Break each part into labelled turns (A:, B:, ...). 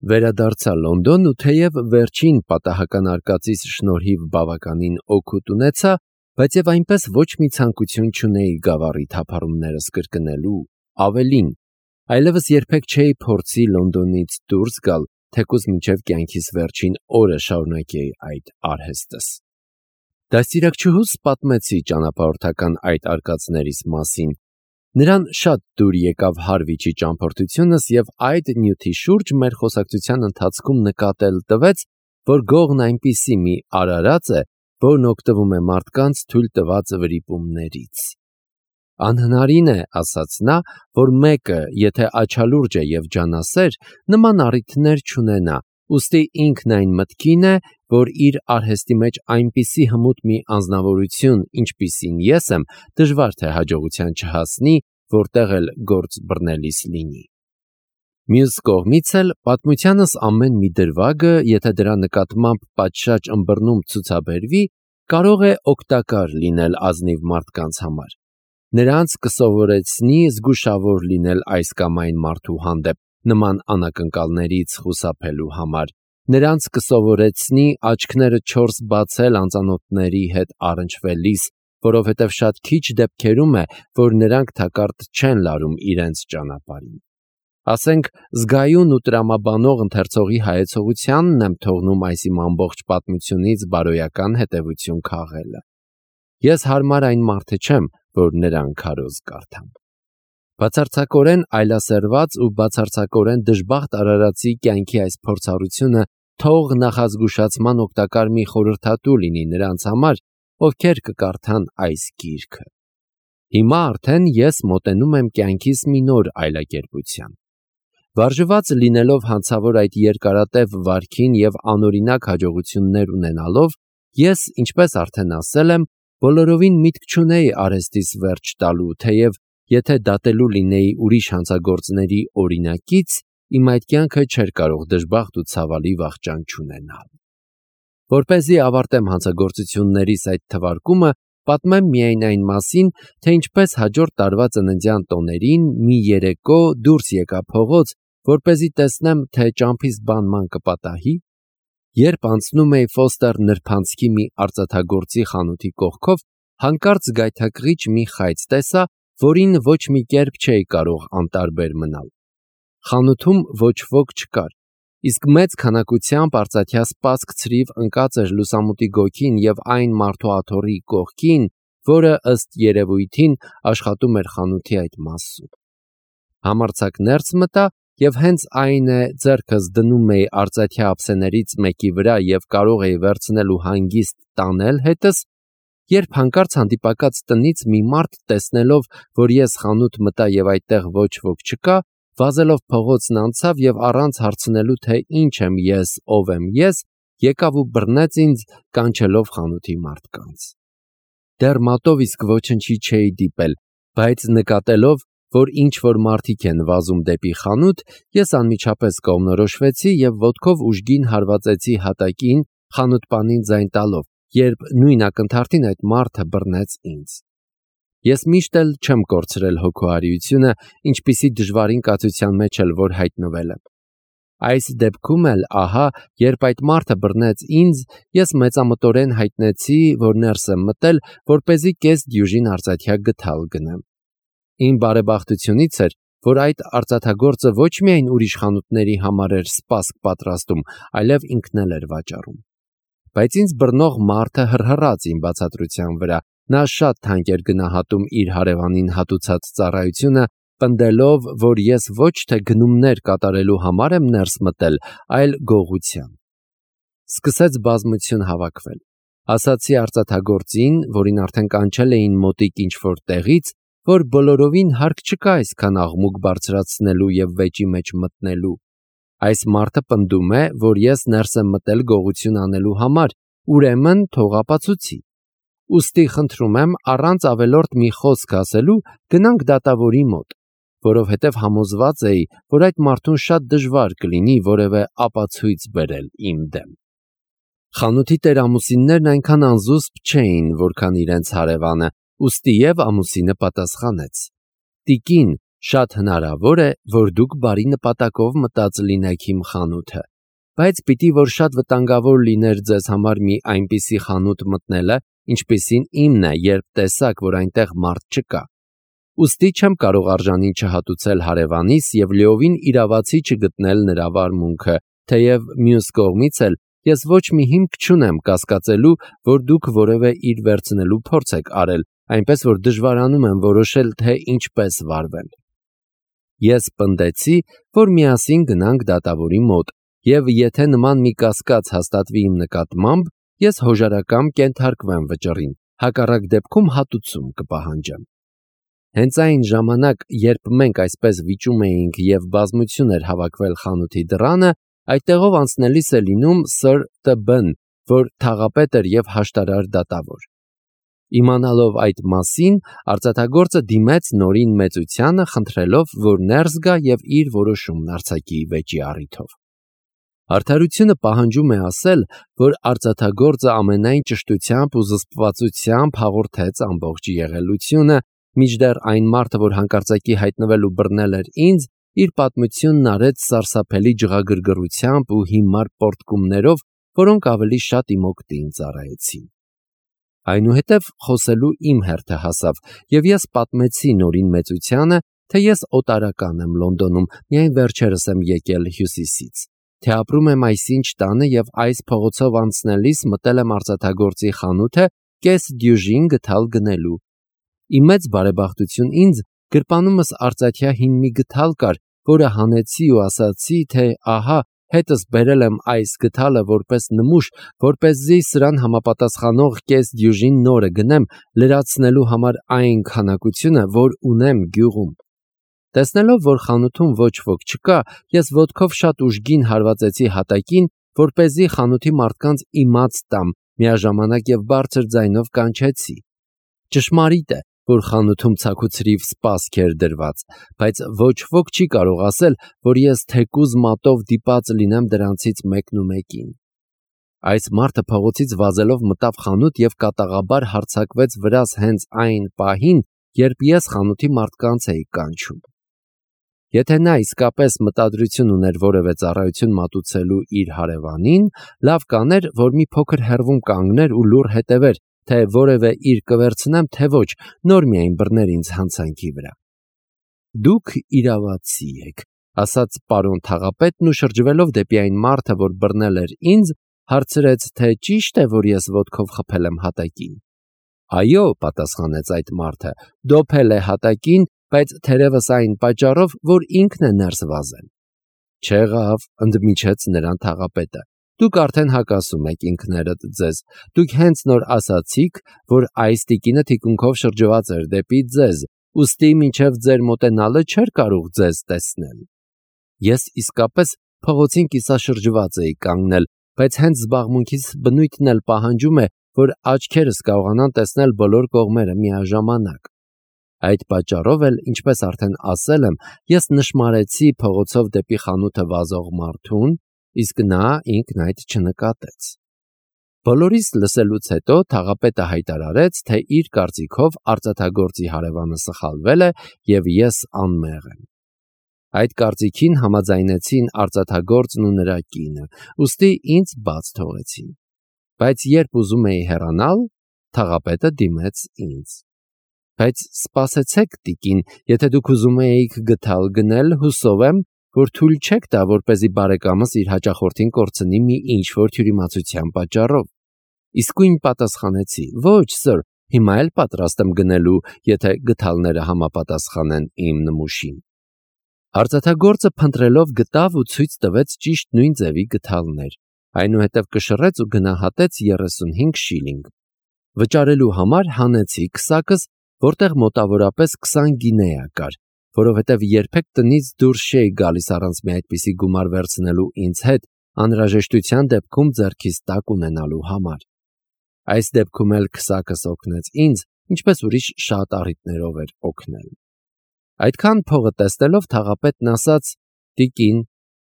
A: Վերադարձա Լոնդոն ու թեև վերջին պատահական արկածիս շնորհիվ բավականին օգուտ ունեցա, բայց եւ այնպես ոչ մի ցանկություն չունեի գավառի թափառումներս կրկնելու, ավելին, այլևս երբեք չէի փորձի Լոնդոնից դուրս գալ, թեկուզ մինչև կյանքիս վերջին օրը շարունակեի այդ արհեստս։ Դաստիարակչուհուս պատմեցի ճանապարհորդական այդ արկածներիս մասին։ Նրան շատ դուր եկավ Հարվիչի ճամփորդությունս եւ այդ նյութի շուրջ մեր խոսակցության ընթացքում նկատել տվեց, որ գողն այնպիսի մի արարած է, որն օգտվում է մարդկանց թույլ տված վրիպումներից։ Անհնարին է, ասաց նա, որ մեկը, եթե աչալուրջ է եւ ջանասեր, նման առիթներ չունենա, ուստի ինքն այն մտքին է, որ իր արհեստի մեջ այնպիսի հմուտ մի անձնավորություն, ինչպիսին ես եմ, դժվար թե հաջողության չհասնի, որտեղ էլ գործ բռնելիս լինի։ Մյուս կողմից էլ պատմությանս ամեն մի դրվագը, եթե դրա նկատմամբ պատշաճ ըմբռնում ցուցաբերվի, կարող է օգտակար լինել ազնիվ մարդկանց համար։ Նրանց կսովորեցնի զգուշավոր լինել այս կամ այն մարդու հանդեպ նման անակնկալներից խուսափելու համար։ Նրանց կսովորեցնի աչքները չորս բացել անծանոթների հետ առնչվելիս, որովհետև շատ քիչ դեպքերում է, որ նրանք թակարդ չեն լարում իրենց ճանապարհին։ Ասենք, զգայուն ու տրամաբանող ընթերցողի հայեցողությանն եմ թողնում այս իմ ամբողջ պատմությունից բարոյական հետևություն քաղելը։ Ես հարմար այն մարդը չեմ, որ նրան քարոզ կարդամ։ Բացարձակորեն այլասերված ու բացարձակորեն դժբախտ արարածի կյանքի այս փորձառությունը թող նախազգուշացման օգտակար մի խորհրդատու լինի նրանց համար, ովքեր կկարդան այս գիրքը։ Հիմա արդեն ես մոտենում եմ կյանքիս մի նոր այլակերպության։ Վարժված լինելով հանցավոր այդ երկարատև վարքին եւ անօրինակ հաջողություններ ունենալով, ես, ինչպես արդեն ասել եմ, բոլորովին միտք չունեի արհեստիս վերջ տալու, թեև եթե դատելու լինեի ուրիշ հանցագործների օրինակից, իմ այդ կյանքը չէր կարող դժբախտ ու ցավալի վախճան չունենալ։ Որպեսզի ավարտեմ հանցագործություններիս այդ թվարկումը, պատմեմ միայն այն մասին, թե ինչպես հաջորդ տարվա ծննդյան տոներին մի երեկո դուրս եկա փողոց, որպեսզի տեսնեմ, թե ճամփիս բանման կպատահի, երբ անցնում էի Ֆոստեր նրբանցքի մի արծաթագործի խանութի կողքով, հանկարծ գայթակղիչ մի խայծ տեսա, որին ոչ մի կերպ չէի կարող անտարբեր մնալ։ Խանութում ոչ ոք չկար, իսկ մեծ քանակությամբ արծաթյա սպասք ցրիվ ընկած էր լուսամուտի գոգին եւ այն մարդու աթոռի կողքին, որը ըստ երևույթին աշխատում էր խանութի այդ մասում։ Համարձակ ներս մտա եւ հենց այն է ձեռքս դնում էի արծաթյա ափսեներից մեկի վրա եւ կարող էի վերցնել ու հանգիստ տանել հետս, երբ հանկարծ հանդիպակաց տնից մի մարդ տեսնելով, որ ես խանութ մտա եւ այդտեղ ոչ ոք չկա, վազելով փողոցն անցավ եւ առանց հարցնելու թե ինչ եմ ես, ով եմ ես, եկավ ու բռնեց ինձ, կանչելով խանութի մարդկանց։ Դեռ մատով իսկ ոչնչի չէի դիպել, բայց նկատելով, որ ինչ որ մարդիկ են վազում դեպի խանութ, ես անմիջապես կողմնորոշվեցի եւ ոտքով ուժգին հարվածեցի հատակին խանութպանին ձայն տալով, երբ նույն ակնթարթին այդ մարդը բռնեց ինձ։ Ես միշտ էլ չեմ կորցրել հոգուհարությունը, ինչպիսի դժվարին կացության մեջ էլ որ հայտնվել եմ։ Այս դեպքում էլ, ահա, երբ այդ մարդը բռնեց ինձ, ես մեծամտորեն հայտնեցի, որ ներս եմ մտել, որպեսզի կես դյուժին արծաթյա գդալ գնեմ։ Իմ բարեբախտությունից էր, որ այդ արծաթագործը ոչ միայն ուրիշ խանութների համար էր սպասք պատրաստում, այլև ինքն էլ էր վաճառում։ Բայց ինձ բռնող մարդը հռհռաց իմ բացատրության վրա, նա շատ թանկ էր գնահատում իր հարևանին հատուցած ծառայությունը, պնդելով, որ ես ոչ թե գնումներ կատարելու համար եմ ներս մտել, այլ գողության։ Սկսեց բազմություն հավաքվել։ Ասացի արծաթագործին, որին արդեն կանչել էին մոտիկ ինչ-որ տեղից, որ բոլորովին հարկ չկա այսքան աղմուկ բարձրացնելու եւ վեճի մեջ մտնելու։ Այս մարդը պնդում է, որ ես ներս եմ մտել գողություն անելու համար, ուրեմն թող ապացուցի։ Ուստի խնդրում եմ առանց ավելորդ մի խոսք ասելու գնանք դատավորի մոտ, որովհետև համոզված էի, որ այդ մարդուն շատ դժվար կլինի որևէ ապացույց բերել իմ դեմ։ Խանութի տերամուսիններն այնքան անզուսպ չէին, որքան իրենց հարևանը, ուստի եւ ամուսինը պատասխանեց. «Տիկին, Շատ հնարավոր է, որ դուք բարի նպատակով մտած լինեք իմ խանութը, բայց պիտի որ շատ վտանգավոր լիներ ձեզ համար մի այնպիսի խանութ մտնելը, ինչպիսին իմն է, երբ տեսաք, որ այնտեղ մարդ չկա։ Ուստի չեմ կարող արժանին չհատուցել հարևանիս և լիովին իրավացի չգտնել նրա վարմունքը, թեև մյուս կողմից էլ ես ոչ մի հիմք չունեմ կասկածելու, որ դուք որևէ իր վերցնելու փորձ եք արել, այնպես որ դժվարանում եմ որոշել, թե ինչպես վարվել։ Ես պնդեցի, որ միասին գնանք դատավորի մոտ, և եթե նման մի կասկած հաստատվի իմ նկատմամբ, ես հոժարակամ կենթարկվեմ վճռին, հակառակ դեպքում հատուցում կպահանջեմ։ Հենց այն ժամանակ, երբ մենք այսպես վիճում էինք և բազմություն էր հավաքվել խանութի դռանը, այդտեղով անցնելիս է լինում Սր Տ.Բ.-ն, որ թաղապետ էր և հաշտարար դատավոր։ Իմանալով այդ մասին, արծաթագործը դիմեց Նորին մեծությանը, խնդրելով, որ ներս գա և իր որոշումն արձակի վեճի առիթով։ Արդարությունը պահանջում է ասել, որ արծաթագործը ամենայն ճշտությամբ ու զսպվածությամբ հաղորդեց ամբողջ եղելությունը, մինչդեռ այն մարդը, որ հանկարծակի հայտնվել ու բռնել էր ինձ, իր պատմությունն արեց սարսափելի ջղագրգռությամբ ու հիմար պոռթկումներով, որոնք ավելի շատ իմ օգտին ծառայեցին։ Այնուհետև խոսելու իմ հերթը հասավ, և ես պատմեցի Նորին մեծությանը, թե ես օտարական եմ Լոնդոնում, միայն վերջերս եմ եկել Հյուսիսից, թե ապրում եմ այսինչ տանը և այս փողոցով անցնելիս մտել եմ արծաթագործի խանութը կես դյուժին գդալ գնելու։ Իմ մեծ բարեբախտություն ինձ գրպանումս արծաթյա հին մի գդալ կար, որը հանեցի ու ասացի, թե ահա հետս բերել եմ այս գդալը որպես նմուշ, որպեսզի սրան համապատասխանող կես դյուժին նորը գնեմ, լրացնելու համար այն քանակությունը, որ ունեմ գյուղում։ Տեսնելով, որ խանութում ոչ ոք չկա, ես ոտքով շատ ուժգին հարվածեցի հատակին, որպեսզի խանութի մարդկանց իմաց տամ, միաժամանակ և բարձր ձայնով կանչեցի։ Ճշմարիտ է, որ խանութում ցաքուցրիվ սպասք էր դրված, բայց ոչ ոք չի կարող ասել, որ ես թեկուզ մատով դիպած լինեմ դրանցից մեկն ու մեկին։ Այս մարդը փողոցից վազելով մտավ խանութ և կատաղաբար հարձակվեց վրաս հենց այն պահին, երբ ես խանութի մարդկանց էի կանչում։ Եթե նա իսկապես մտադրություն ուներ որևէ ծառայություն մատուցելու իր հարևանին, լավ կաներ, որ մի փոքր հեռվում կանգներ ու լուռ հետևեր, թե որևէ իր կվերցնեմ, թե ոչ, նոր միայն բռներ ինձ հանցանքի վրա։ Դուք իրավացի եք, ասաց պարոն թաղապետն ու շրջվելով դեպի այն մարդը, որ բռնել էր ինձ, հարցրեց, թե ճիշտ է, որ ես ոտքով խփել եմ հատակին։ Այո, պատասխանեց այդ մարդը, դոփել է հատակին, բայց թերևս այն պատճառով, որ ինքն է ներս վազել։ Չեղավ, ընդմիջեց նրան թաղապետը։ Դուք արդեն հակասում եք ինքներդ ձեզ։ Դուք հենց նոր ասացիք, որ այս տիկինը թիկունքով շրջված էր դեպի ձեզ, ուստի մինչև ձեր մոտենալը չէր կարող ձեզ տեսնել։ Ես իսկապես փողոցին կիսաշրջված էի կանգնել, բայց հենց զբաղմունքից բնույթն էլ պահանջում է, որ աչքերս կարողանան տեսնել բոլոր կողմերը միաժամանակ։ Այդ պատճառով էլ, ինչպես արդեն ասել եմ, ես նշմարեցի փողոցով դեպի խանութը վազող մարդուն, իսկ նա ինքն այդ չնկատեց։ Բոլորիս լսելուց հետո թաղապետը հայտարարեց, թե իր կարծիքով արծաթագործի հարևանը սխալվել է և ես անմեղ եմ։ Այդ կարծիքին համաձայնեցին արծաթագործն ու նրա կինը, ուստի ինձ բաց թողեցին։ Բայց երբ ուզում էի հեռանալ, թաղապետը դիմեց ինձ։ Բայց սպասեցեք, տիկին, եթե դուք ուզում էիք գդալ գնել, հուսով եմ, որ թույլ չեք տա, որպեսզի բարեկամս իր հաճախորդին կորցնի մի ինչ-որ թյուրիմացության պատճառով։ Իսկույն պատասխանեցի. ոչ, սըր, հիմա էլ պատրաստ եմ գնելու, եթե գդալները համապատասխանեն իմ նմուշին։ Արծաթագործը փնտրելով գտավ ու ցույց տվեց ճիշտ նույն ձևի գդալներ, այնուհետև կշռեց ու գնահատեց 35 շիլինգ։ Վճարելու համար հանեցի քսակս, որտեղ մոտավորապես 20 գինեա կար, որովհետև երբեք տնից դուրս չէի գալիս առանց մի այդպիսի գումար վերցնելու ինձ հետ, անհրաժեշտության դեպքում ձեռքիս տակ ունենալու համար։ Այս դեպքում էլ քսակս օգնեց ինձ, ինչպես ուրիշ շատ առիթներով էր օգնել։ Այդքան փողը տեսնելով թաղապետն ասաց. «Տիկին,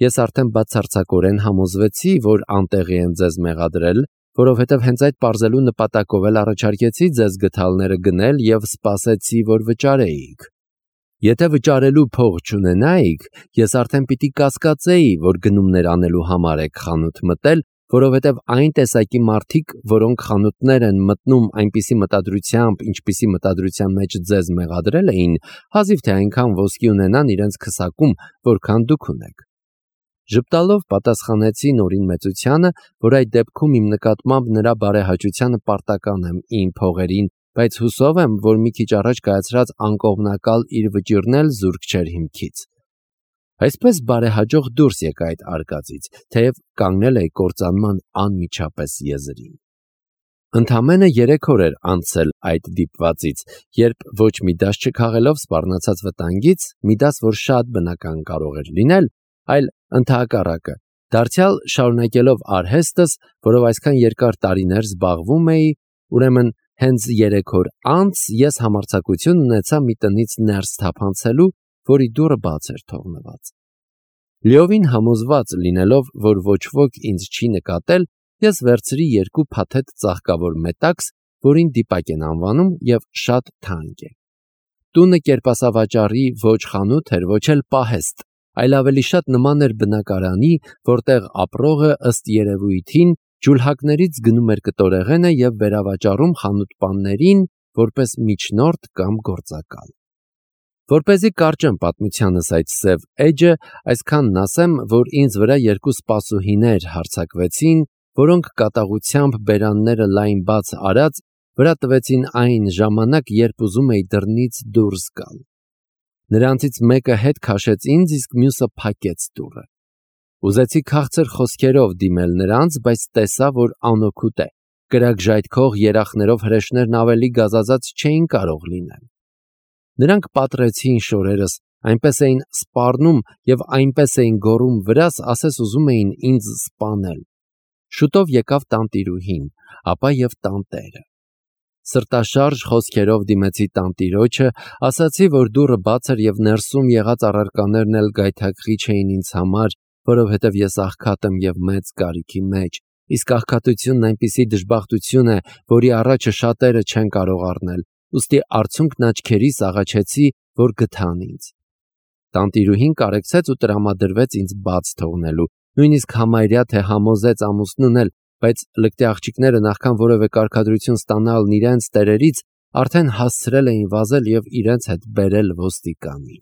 A: ես արդեն բացարձակորեն համոզվեցի, որ անտեղի եմ ձեզ մեղադրել, որովհետև հենց այդ պարզելու նպատակով էլ առաջարկեցի ձեզ գդալները գնել և սպասեցի, որ վճարեիք։ Եթե վճարելու փող չունենայիք, ես արդեն պիտի կասկածեի, որ գնումներ անելու համար եք խանութ մտել, որովհետև այն տեսակի մարդիկ, որոնք խանութներ են մտնում այնպիսի մտադրությամբ, ինչպիսի մտադրության մեջ ձեզ մեղադրել էին, հազիվ թե այնքան ոսկի ունենան իրենց քսակում, որքան դուք ունեք։ Ժպտալով պատասխանեցի նորին մեծությանը, որ այդ դեպքում իմ նկատմամբ նրա բարեհաճությանը պարտական եմ իմ փողերին, բայց հուսով եմ, որ մի քիչ առաջ կայացրած անկողմնակալ իր վճիռն էլ զուրկ չէր հիմքից։ Այսպես բարեհաջող դուրս եկա այդ արկածից, թեև կանգնել էի կործանման անմիջապես եզրին։ Ընդամենը 3 օր էր անցել այդ դիպվածից, երբ ոչ մի դաս չքաղելով սպառնացած վտանգից, մի դաս, որ շատ բնական կարող էր լինել, այլ ընդհակառակը, դարձյալ շարունակելով արհեստս, որով այսքան երկար տարիներ զբաղվում էի, ուրեմն հենց 3 օր անց ես համարձակություն ունեցա մի տնից ներս թափանցելու, որի դուռը բաց էր թողնված։ Լիովին համոզված լինելով, որ ոչ ոք ինձ չի նկատել, ես վերցրի 2 փաթեթ ծաղկավոր մետաքս, որին դիպակ են անվանում եւ շատ թանկ է։ Տունը կերպասավաճառի ոչ խանութ էր, ոչ էլ պահեստ, այլ ավելի շատ նման էր բնակարանի, որտեղ ապրողը ըստ երևույթին ջուլհակներից գնում էր կտորեղենը եւ վերավաճառում խանութպաններին որպես միջնորդ կամ գործակալ։ Որպեսզի կարճեմ պատմությանս այդ սև էջը, այսքանն ասեմ, որ ինձ վրա 2 սպասուհիներ հարձակվեցին, որոնք կատաղությամբ բերանները լայն բաց արած վրա տվեցին այն ժամանակ, երբ ուզում էի դռնից դուրս գալ։ Նրանցից մեկը հետ քաշեց ինձ, իսկ մյուսը փակեց դուռը։ Ուզեցի քաղցր խոսքերով դիմել նրանց, բայց տեսա, որ անօգուտ է։ Կրակ ժայթքող երախներով հրեշներն ավելի գազազած չէին կարող լինել։ Նրանք պատռեցին շորերս, այնպես էին սպառնում եւ այնպես էին գոռում վրաս, ասես ուզում էին ինձ սպանել։ Շուտով եկավ տանտիրուհին, ապա եւ տանտերը։ Սրտաշարժ խոսքերով դիմեցի տանտիրոջը, ասացի, որ դուռը բաց էր եւ ներսում եղած առարկաներն էլ գայթակղի չէին ինձ համար, որովհետև ես աղքատ եմ եւ մեծ կարիքի մեջ, իսկ աղքատությունն այնպիսի դժբախտություն է, որի առաջը շատերը չեն կարող առնել, ուստի արցունքն աչքերիս աղաչեցի, որ գթան ինձ։ Տանտիրուհին կարեկցեց ու տրամադրվեց ինձ բաց թողնելու, նույնիսկ համարյա թե համոզեց ամուսնուն էլ, բայց լկտի աղջիկները նախքան որևէ կարգադրություն ստանալն իրենց տերերից, արդեն հասցրել էին վազել եւ իրենց հետ բերել ոստիկանին։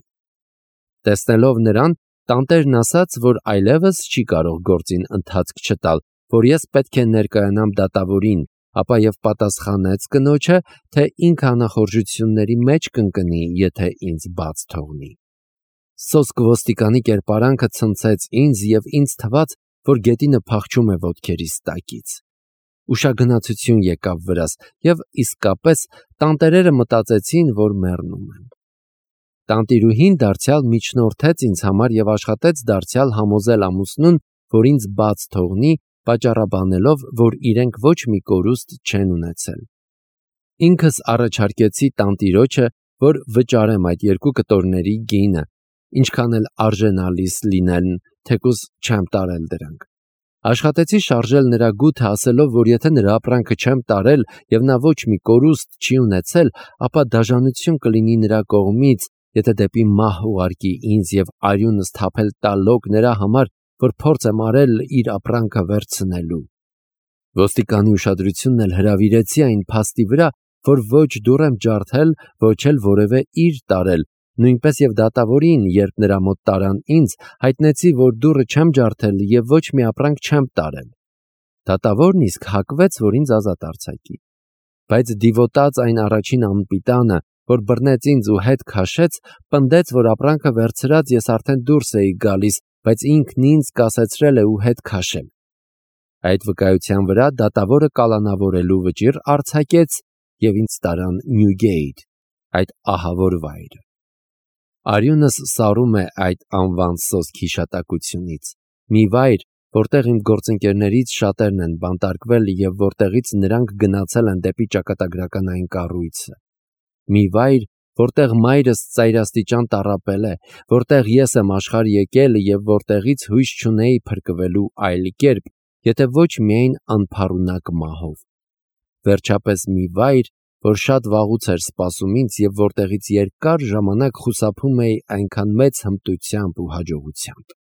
A: Տեսնելով նրան, տանտերն ասաց, որ այլևս չի կարող գործին ընթացք չտալ, որ ես պետք է ներկայանամ դատավորին, ապա եւ պատասխանեց կնոջը, թե ինքը անախորժությունների մեջ կընկնի, եթե ինձ բաց թողնի։ Սոսկ ոստիկանի կերպարանքը ցնցեց ինձ եւ ինձ թվաց, որ գետինը փախչում է ոտքերիս տակից։ Ուշագնացություն եկավ վրաս եւ իսկապես տանտերերը մտածեցին, որ մեռնում եմ։ Տանտիրուհին դարձյալ միջնորդեց ինձ համար եւ աշխատեց դարձյալ համոզել ամուսնուն, որ ինձ բաց թողնի, պատճառաբանելով, որ իրենք ոչ մի կորուստ չեն ունեցել։ Ինքս առաջարկեցի տանտիրոջը, որ վճարեմ այդ 2 կտորների գինը, ինչքան էլ արժենալիս լինեն, թեկուզ չեմ տարել դրանք։ Աշխատեցի շարժել նրա գութը, ասելով, որ եթե նրա ապրանքը չեմ տարել եւ նա ոչ մի կորուստ չի ունեցել, ապա դաժանություն կլինի նրա կողմից, եթե դեպի մահ ուղարկի ինձ եւ արյունս թափել տալոք նրա համար, որ փորձ եմ արել իր ապրանքը վերցնելու։ Ոստիկանի ուշադրությունն էլ հրավիրեցի այն փաստի վրա, որ ոչ դուռ եմ ջարդել, ոչ էլ որևէ իր տարել, նույնպես եւ դատավորին, երբ նրա մոտ տարան ինձ, հայտնեցի, որ դուռը չեմ ջարդել եւ ոչ մի ապրանք չեմ տարել։ Դատավորն իսկ հակվեց, որ ինձ ազատ արձակի։ Բայց դիվոտած այն առաջին անպիտանը, որ բռնեց ինձ ու հետ քաշեց, պնդեց, որ ապրանքը վերցրած ես արդեն դուրս էի գալիս, բայց ինքն ինձ կասեցրել է ու հետ քաշել։ Այդ վկայության վրա դատավորը կալանավորելու վճիռ արձակեց եւ ինձ տարան Նյուգեյթ, այդ ահավոր վայրը։ Արյունս սառում է այդ անվան սոսկ հիշատակությունից։ Մի վայր, որտեղ իմ գործընկերներից շատերն են բանտարկվել եւ որտեղից նրանք գնացել են դեպի ճակատագրական այն կառույցը։ Մի վայր, որտեղ մայրս ծայրաստիճան տառապել է, որտեղ ես եմ աշխարհ եկել եւ որտեղից հույս չունեի փրկվելու այլ կերպ, եթե ոչ միայն անփառունակ մահով։ Վերջապես մի վայր, որ շատ վաղուց էր սպասում ինձ և որտեղից երկար ժամանակ խուսափում էի այնքան մեծ հմտությամբ ու հաջողությամբ։